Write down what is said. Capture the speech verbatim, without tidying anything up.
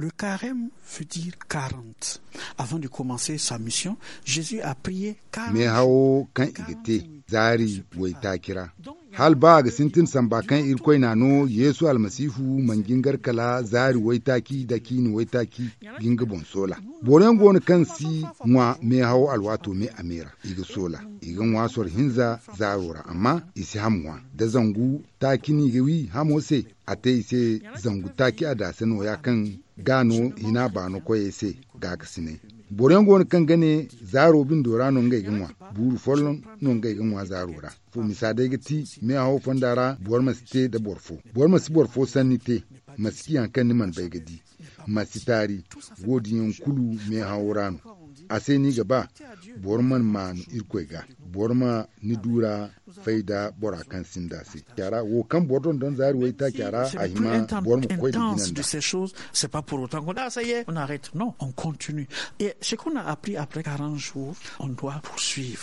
Le carême veut dire quarante. Avant de commencer sa mission, Jésus a prié quarante jours. Meehawo kaŋ i ga te zaari waytaaci ra, hala ba a ga sintin samba kaŋ Irkoy n'a no, Yeesu Almasihu mana jingar kala zaari waytaaci nda ciine waytaaci ga nga boŋ soola. Boro yaŋ go no kaŋ si ŋwa meehawo alwaato me a me ra, i ga soola, i ga ŋwa soro hinza zaaro ra, amma i si ham ŋwa. Da zangu taaci no i ga wi hamo se, a te i se zangu taaci a daasa nooya kaŋ ga no hina baano koyey se gaakasinay. Boro yaŋ go no kaŋ ga ne zaaro bindo ra no ngey ga ŋwa, buuru folloŋ no ngey ga ŋwa zaaro ra. Fo misa day ga ti meehawo fonda ra, boro ma si te nda boro fo, boro ma si boro fo sanni te, ma si ci hari kaŋ ni mana bay ga di, ma si taari. Wo-din yaŋ kulu meehawo ra no. A se no i ga ba boro mana maanu Irkoy ga, boro ma ni duura fay nda bora kaŋ sinda se. Wo kaŋ boro dondon zaari waytaaca ra, a hima boro ma koy nda jinanda. C'est pas pour autant qu'on a ça y est, on arrête. Non, on continue. Et ce qu'on a appris après quarante jours, on doit poursuivre.